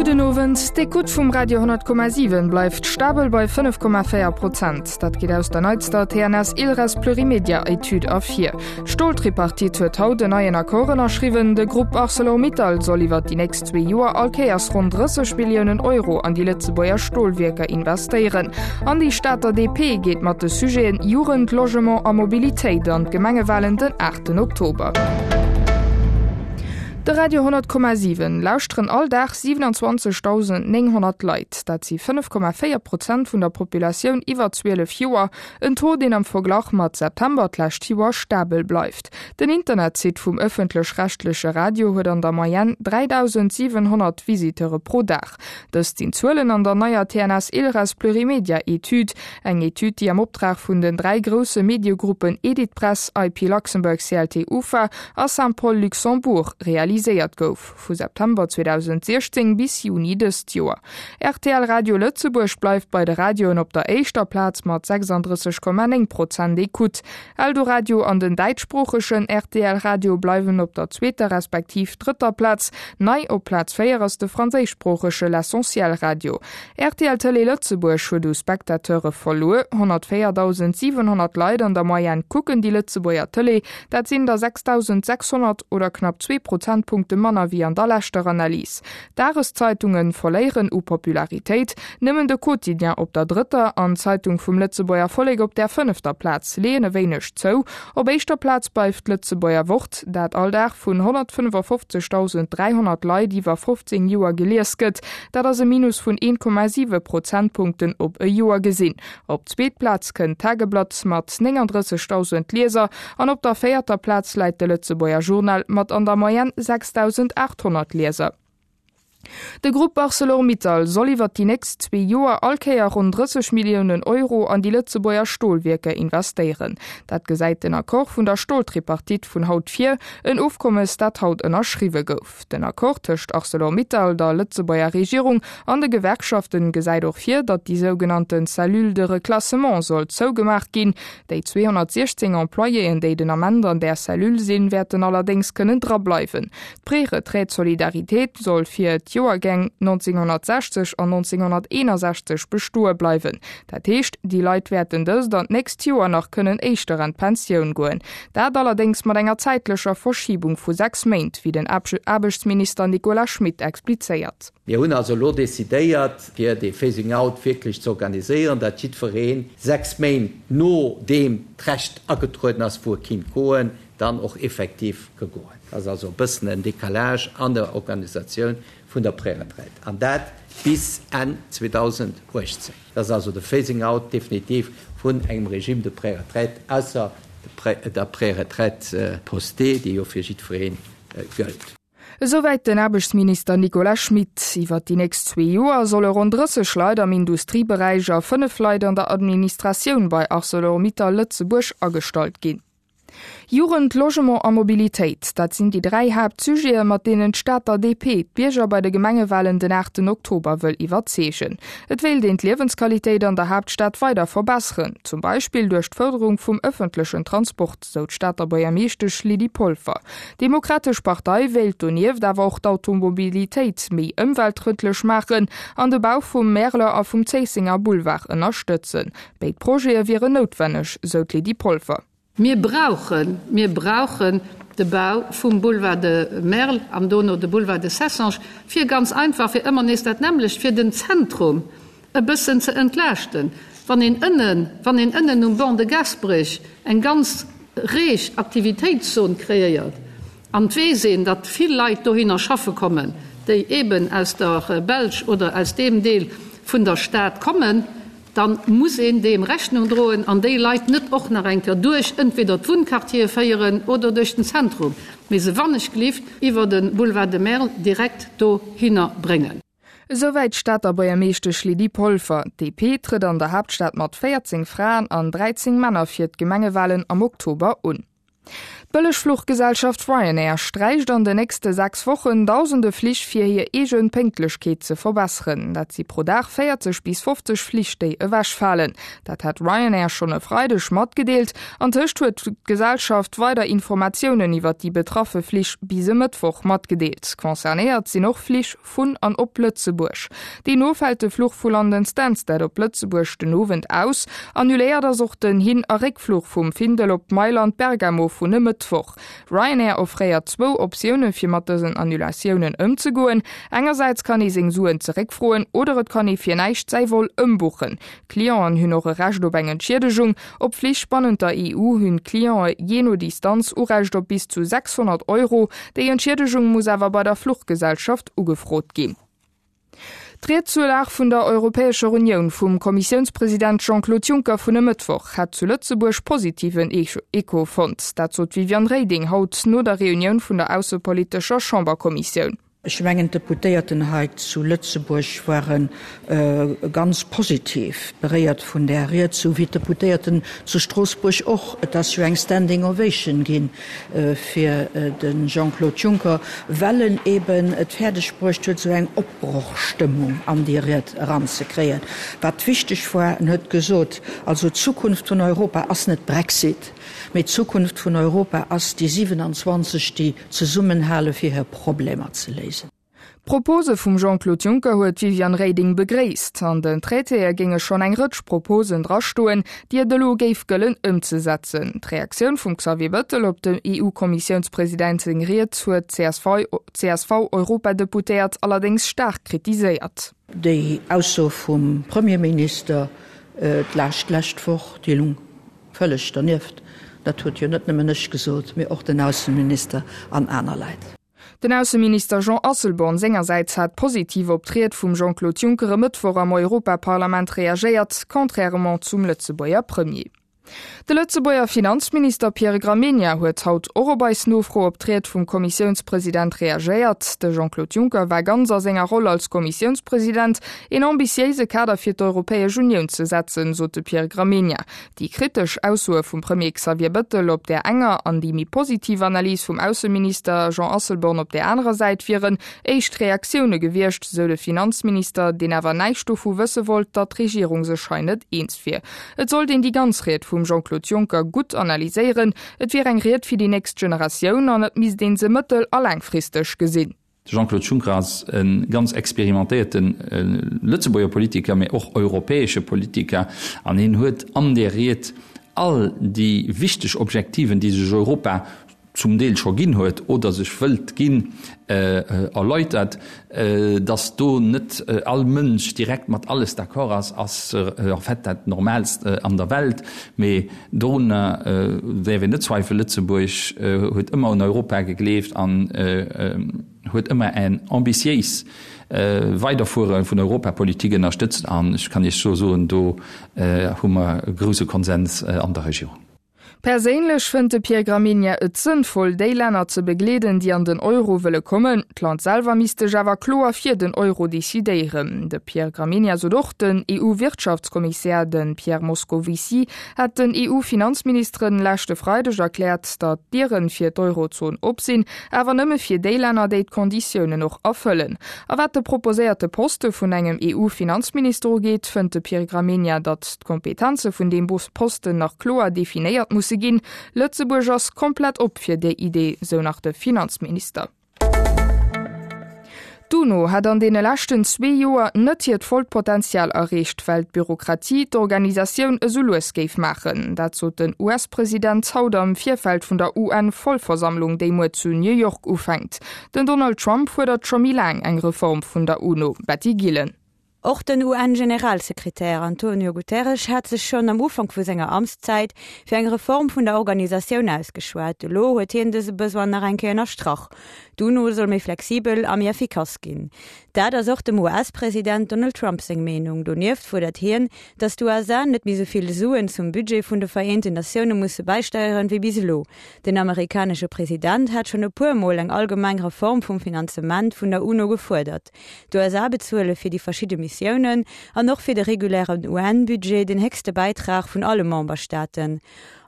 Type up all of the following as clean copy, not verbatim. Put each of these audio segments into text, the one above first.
Gudden Owend. D'Ecoute vum Radio 10,7 bleift stabel bei 5,4 Prozent. Dat geet aus der neitster TNS Ilres Plurimedia Etüd ervir. D'Stoltripartite huet haut en neien Accord ënnerschriwwen. De Grupp Arcelor-Mittal soll iwwer déi nächst zwee Joer all Kéiers ronn 30 Milliounen Euro an déi Lëtzebuerger Stolwierker investéieren. An déi Stater DP geet mat de Sujeten Jugend, Logement a Mobilitéit an d'Gemengewalen den 8 Oktober. De Radio 10,7 lauschteren all Dag 27.900 Leit. Dat si 5,4 Prozent vun der Populatioun iwwer 12 Joer. En Taux, deen am Verglach mat September d'lescht Joer stabel bleift. Den Internetsite vum ëffentlech-rechtleche Radio huet an der Moyenne 3.700 Visiteure pro Dag. Dëst sinn d'Zuelen an der neier TNS-Ilres Plurimedia-Etüd. Eng Etüd, déi am Optrag vun den 3 grousse Mediegruppen Editpress, IP Luxembourg CLT UFA a Saint-Paul Luxembourg realiséiert gouf, vu September 2016 bis Juni dëst Joer. Rtl Radio Lëtzebuerg bleift bei de Radioen op der éischter Plaz mat 36,9 Prozent Ecoute. Eldoradio an den däitschsproochegen rtl Radio bleiwen op der zweeter respektiv drëtter Plaz. Nei op Plaz 4 ass de franséischsproochege L'Essentiel Radio. Rtl Tëlee Lëtzebuerg huet u Spectateure verluer. 104.700 Leit an der Moyenne kucken déi Lëtzebuerger Tëlee. Dat sinn der 6.600 oder knapp zwee Prozentpunkte manner wéi an der leschter Analys. D'Dageszeitunge verléieren u Popularitéit. Nëmmen de Quotidien op der drëtter an d'Zeitung vum Lëtzebuerger Vollek op där fënnefter Plaz leeën e wéineg zou. Op éischter Plaz bleift d'Lëtzebuerger Wort, dat all Dag vun 155.300 Leit iwwer 15 Joer gelies gëtt. Dat ass e Minus vun 1,7 Prozentpunkten op e Joer gesinn. Op d'zweet Plaz kënnt d'Tageblatt mat 39.000 Lieser an op der véierter Plaz läit de Lëtzebuerger Journal mat an der Moyenne 6.800 Lieser. De Grupp Arcelor-Mittal soll iwwer déi nächst zwee Joer all Kéier ronn 30 Milliounen Euro an déi Lëtzebuerger Stolwierker investéieren. Dat gesäit den Accord vun der Stoltripartite vun haut vir, en Ofkommes, dat haut ënnerschriwwe gouf. Den Accord tëscht Arcelor-Mittal, der Lëtzebuerger Regierung an de Gewerkschaften gesäit och vir, datt déi sougenannte Cellule de reclassement soll zougemaach ginn. Déi 216 Employéen, déi den Ament an där Cellule sinn, wäerten allerdéngs kënnen drableiwen. D'Préretraite solidarité soll fir d'Joergäng 1960 an 1961 bestoe bleiwen. Dat heescht, déi Leit wäerten dëst an d'nächst Joer nach kënnen éischter an d'Pensioun goen. Dat allerdéngs mat enger zäitlecher Verschibung vu 6 Méint, wéi den Aarbechtsminister Nicolas Schmit explizéiert. Mir hunn also elo decidéiert, fir dee Phasing out wierklech ze organiséieren, datt jiddweree 6 Méint nodeem d'Recht agetrueden ass, wou e kinnt goen, dann och effektiv ka goen. Dat ass also e bëssen en Décalage an der Organisatioun vun der Préretraite, an dat bis Enn 2018. Dat ass also de Phasing out definitiv vun engem Régime de préretraite, ausser der Préretraite postée, déi jo fir jiddweree gëllt. Esouwäit den Aarbechtsminister Nicolas Schmit. Iwwer déi nächst zwee Joer solle ronn 30 Leit am Industrieberäich a 5 Leit an der Administratioun bei Arcelor-Mittal Lëtzebuerg agestallt ginn. Jugend, Logement a Mobilitéit, dat sinn déi 3 Haaptsujete mat deenen d'Stater DP d'Bierger bei de Gemengewalen den 8 Oktober wëll iwwerzeegen. Et wéilt een d'Liewensqualitéit an der Haaptstad weider verbesseren, zum Beispill duerch d'Fërderung vum ëffentlechen Transport, sou d'Stater Buergermeeschtesch Lydie Polfer. D'Demokratesch Partei wéilt donieft awer och d'Automobilitéit méi ëmweltfrëndlech maachen an de Bau vum Märeler a vum Zéissenger Boulevard ënnerstëtzen. Béid Projete wieren noutwenneg, sou d'Lydie Polfer. Mir brauchen, mir brauchen de Bau vum Boulevard de Merl an dono de Boulevard de Cessange, fir ganz einfach, fir ëmmer nees dat nämmlecht, fir den Zentrum e bëssen ze entlaaschten. Wann een ënnen, wann een ënnen um Ban de Gasperech eng ganz reeg Aktivitéitszon kreéiert an et weess een, datt vill Leit dohinner schaffe kommen, déi eeben aus der Belsch oder aus deem Deel vun der Stad kommen, dann muss een deem Rechnung droen an déi Leit net och nach eng Kéier duerch entweder d'Wunnquartiere féieren oder duerch den Zentrum, mee se wannechglift iwwer de Boulevard de Merl direkt dohinner bréngen. Esouwäit d'Stater Buergermeeschtesch Lydie Polfer. D'DP trëtt an der Haaptstad mat 14 Fraen an 13 Männer fir d'Gemengewalen am Oktober un. D'Bëllegfluchgesellschaft Ryanair sträicht an de nächste 6 Wochen dausende Flich fir hir eegen Pénktlechkeet ze verbesseren. Dat si pro Dag 40 bis 50 Flich déi ewechfalen. Dat hat Ryanair schonn e Freideg matgedeelt. Antëscht huet d'Gesellschaft weider Informatiounen iwwer déi betraffe Flich bis e Mëttwoch matgedeelt. Concernéiert sinn och Flich vun an op Lëtzebuerg. Deemno fält de Fluch vu London Stansted op Lëtzebuerg den Owend aus. Annuléiert ass och den Hin a Réckfluch vum Findel op Mailand Bergamo vun e Mëttwoch. Ryanair offréiert zwou Optioune fir mat dësen Annulatiounen ëmzegoen, Engersäits kann ee seng Suen zeréckfroen oder et kann ee fir näischt säi Vol ëmbuchen. Clienten hunn och e Recht op eng Entschiedegung. Op Flich bannent der EU hunn d'Cliente jee no Distanz Urecht op bis zu 600 Euro. Déi Entschiedegung muss awer bei der Fluchgesellschaft ugefrot ginn. D'Ried zur Lag vun der Europäescher Unioun vum Kommissiounspresident Jean-Claude Juncker vun e Mëttwoch hätt zu Lëtzebuerg positiven Echo fonnt. Dat sot d'Viviane Reding haut no der Reunioun vun der aussepolitescher Chamberkommissioun. Ech mengen, d'Deputéierten hei zu Lëtzebuerg ware ganz positiv beréiert vun där Ried, sou wéi d'Deputéierten zu Stroossbuerg och. Et ass jo eng Standing Ovation gi fir de Jean-Claude Juncker, well en eeben et fäerdeg bruecht huet, esou eng Opbrochstëmmung an déi Ried eranzekréien. Wat wichteg war, en huet gesot, also d'Zukunft vun Europa ass net Brexit, mee d'Zukunft vun Europa ass déi 27, déi Zesummenhale fir hir Problemer ze léisen. D'Propose vum Jean-Claude Juncker huet d'Viviane Reding begréisst. An den Traitéë géinge schonn eng Rëtsch Proposen drastoen, déi et elo géif gëllen ëmzesetzen. D'Reaktioun vum Xavier Bettel op dem EU-Kommissiounspresident seng Ried huet d'CSV-Europadeputéiert allerdéngs staark kritiséiert. Déi Ausso vum Premierminister d'lescht lescht Woch, déi lung Vëlleg dernieft, dat huet jo net nëmmen ech gesot, mee och den Ausseminister an aner Leit. Den Ausseminister Jean Asselborn sengersäits hat positiv op d'Ried vum Jean-Claude Juncker e Mëttwoch am Europaparlament reagéiert, contrairement zum Lëtzebuerger Premier. De Lëtzebuerger Finanzminister Pierre Gramegna huet haut och op eis Nofro op d'Ried vum Kommissiounspresident reagéiert. De Jean-Claude Juncker war ganz a senger Roll als Kommissiounspresident, een ambitiéise Kader fir d'Europäesch Unioun ze setzen, sot de Pierre Gramegna. Déi kritesch Aussoe vum Premier Xavier Bëttel op där enger an déi méi positiv Analys vum Ausseminister Jean Asselborn op där anerer Säit wieren éischt Reaktioune gewiescht, sou de Finanzminister, deen awer näischt dovu wësse wollt, datt d'Regierung sech hei net eens wier. Et sollt een déi ganz Ried vum Jean-Claude Juncker gutt analyséieren. Et wier eng Ried fir déi nächst Generatioun an et misst ee se mëttel a laangfristeg gesinn. De Jean-Claude Juncker ass e ganz experimentéierte Lëtzebuerger Politiker, mee och europäesche Politiker an hien huet an där Ried all déi wichteg Objektiven, déi sech Europa zum Deel scho ginn huet oder sech wëllt ginn, erläutert. Datt do net all Mënsch direkt mat alles d'accord ass, ass en fait dat Normaalst an der Welt. Mee Dorunner däerf een net zweifelen, Lëtzebuerg huet ëmmer un Europa gegleeft an huet ëmmer en ambitiéis Weiderfuere vun Europapolitik ënnerstëtzt. An ech kann Iech scho soen, do hu mer e grouse Konsens an der Regierung. Perséinlech fënnt de Pierre Gramegna et sënnvoll, déi Länner ze begleeden, déi an den Euro wëlle kommen. D'Land selwer misst sech awer kloer fir den Euro decidéieren. De Pierre Gramegna sot och, den EU-Wirtschaftskommissär, de Pierre Moscovici, hätt den EU-Finanzministeren leschte Freideg erkläert, datt d'Dieren fir d'Eurozon op sinn, awer nëmme fir déi Länner, déi d'Konditiounen och erfëllen. A wat de proposéierte Poste vun engem EU-Finanzminister ugeet, fënnt de Pierre Gramegna, datt d'Kompetenze vun deem Posten nach kloer definéiert musse ginn. Lëtzebuerg ass komplett op fir déi Idee, sou nach de Finanzminister. D'UNO hätt an deene leschten zwee Joer net hiert vollt Potenzial erreecht, well d'Bürokratie d'Organisatioun esou lues géif maachen. Dat sot den US-President haut am Virfeld vun der UN-Vollversammlung, déi muer zu New York ufänkt. Den Donald Trump fuerdert scho méi laang eng Reform vun der UNO. Betty Gillen. Och den UN-Generalsekretär Antonio Guterres hat sech schonn am Ufank vu senger Amtszäit fir eng Reform vun der Organisatioun ausgeschwat. Elo huet hien dëse Besoin nach eng Kéier ënnerstrach. D'UNO soll méi flexibel a méi effikass ginn. Dat ass och dem US-President Donald Trump seng Meenung. Donieft fuerdert hien, datt d'USA net méi sou vill Suen zum Budget vun de Vereenten Natioune musse bäisteieren, wéi bis elo. Den amerikanesche President hat schonn e puer Mol eng allgemeng Reform vum Finanzement vun der UNO gefuerdert. D'USA bezuele fir déi verschidde Missiounen an och fir de regulären UN-Budget den héchste Bäitrag vun alle Memberstaaten.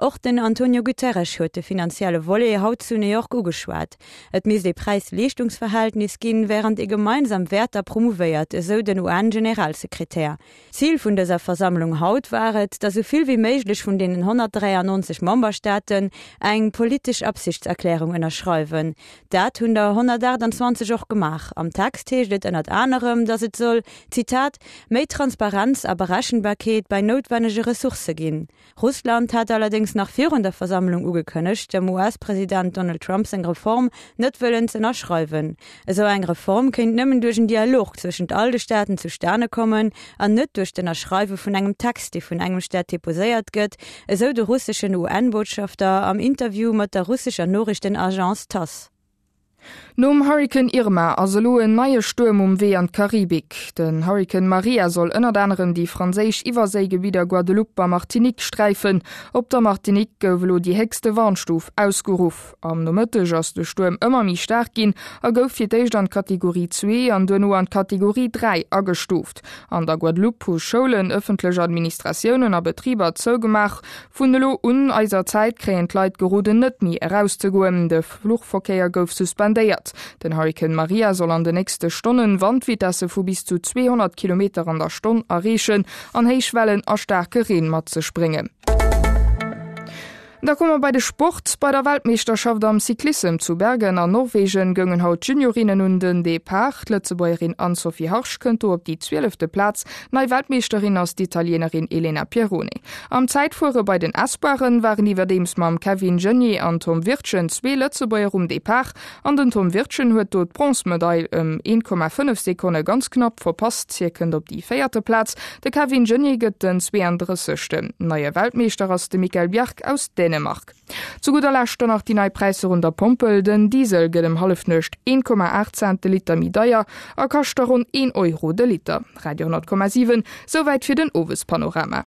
Och den Antonio Guterres huet de finanzielle Volet haut zu New York ugeschwat. Et misst ee Präis-Leeschtungsverhältnis ginn, wärend ee gemeinsam Wäerter promouvéiert, esou den UN-Generalsekretär. Zil vun dëser Versammlung haut war et, datt esou vill wéi méiglech vun deenen 193 Memberstaaten eng politesch Absichtserklärung ënnerschreiwen. Dat hunn der 128 och gemaach. Am Text heescht et ënnert anerem, datt et soll, Zitat, méi Transparenz a Berechenbarkeet bei noutwennege Ressourcë ginn. Russland hat allerdéngs nach virun der Versammlung ugekënnegt, dem US-President Donald Trump seng Reform net wëllen z'ënnerschreiwen. Esou eng Reform kéint nëmmen duerch en Dialog zwëschent all de Staaten zustane kommen an net duerch d'Ënnerschreiwe vun engem Text, dee vun engem Staat deposéiert gëtt, esou de russeschen UN-Botschafter am Interview mat der russescher Noriichtenagence Tass. Nom Hurrikan Irma ass elo en neie Stuerm um Wee an d'Karibik. Den Hurrikan Maria soll ënnert anerem déi franséisch Iwwerséigebidder Guadeloupe a Martinique sträifen. Op der Martinique gouf elo déi héchste Warnstuf ausgeruff. Am Nomëtteg ass de Stuerm ëmmer méi staark ginn a gouf fir d'éischt an d'Kategorie 2 an duerno an d'Kategorie 3 agestuuft. An der Guadeloupe hu Schoulen, ëffentlech Administratiounen a Betriber zougemaach. Vun elo un eiser Zäit kréien d'Leit geroden net méi erauszegoen. De Fluchverkéier gouf suspendéiert. Den Hurrikan Maria soll an de nächste Stonnen Wandvitesse vu bis zu 200 Kilometer an der Stonn erreechen an héich Wellen a staarke Reen mat sech bréngen. Da komme mer bei de Sport. Bei der Weltmeeschterschaft am Cyclissem zu Bergen an Norwegen goungen haut d'Juniorinnen un den Depart. D'Lëtzebuergerin Anne-Sophie Harsch kënnt do op déi zwielefte Plaz. Nei Weltmeeschterin ass d'Italienerin Elena Pirrone. Am Zäitfuere bei den Espoiren waren iwwerdeems mam Kevin Geniets an Tom Wirtgen zwee Lëtzebuerger um Depart an den Tom Wirtgen huet do d'Bronzmedail ëm 1,5 Sekonne ganz knapp verpasst. Hie kënnt op déi véierte Plaz, de Kevin Geniets gëtt den 32. Neie Weltmeeschter ass de Mikkel Bjerg aus Dänemark. Zu gudder Lescht dann nach déi nei Präisser un der Pompel, Den Diesel gëtt ëm Hallefnuecht 1,8 Cent de Liter méi deier a kascht da ronn 1 Euro de Liter. Radio 10,7, Souwäit fir den Owespanorama.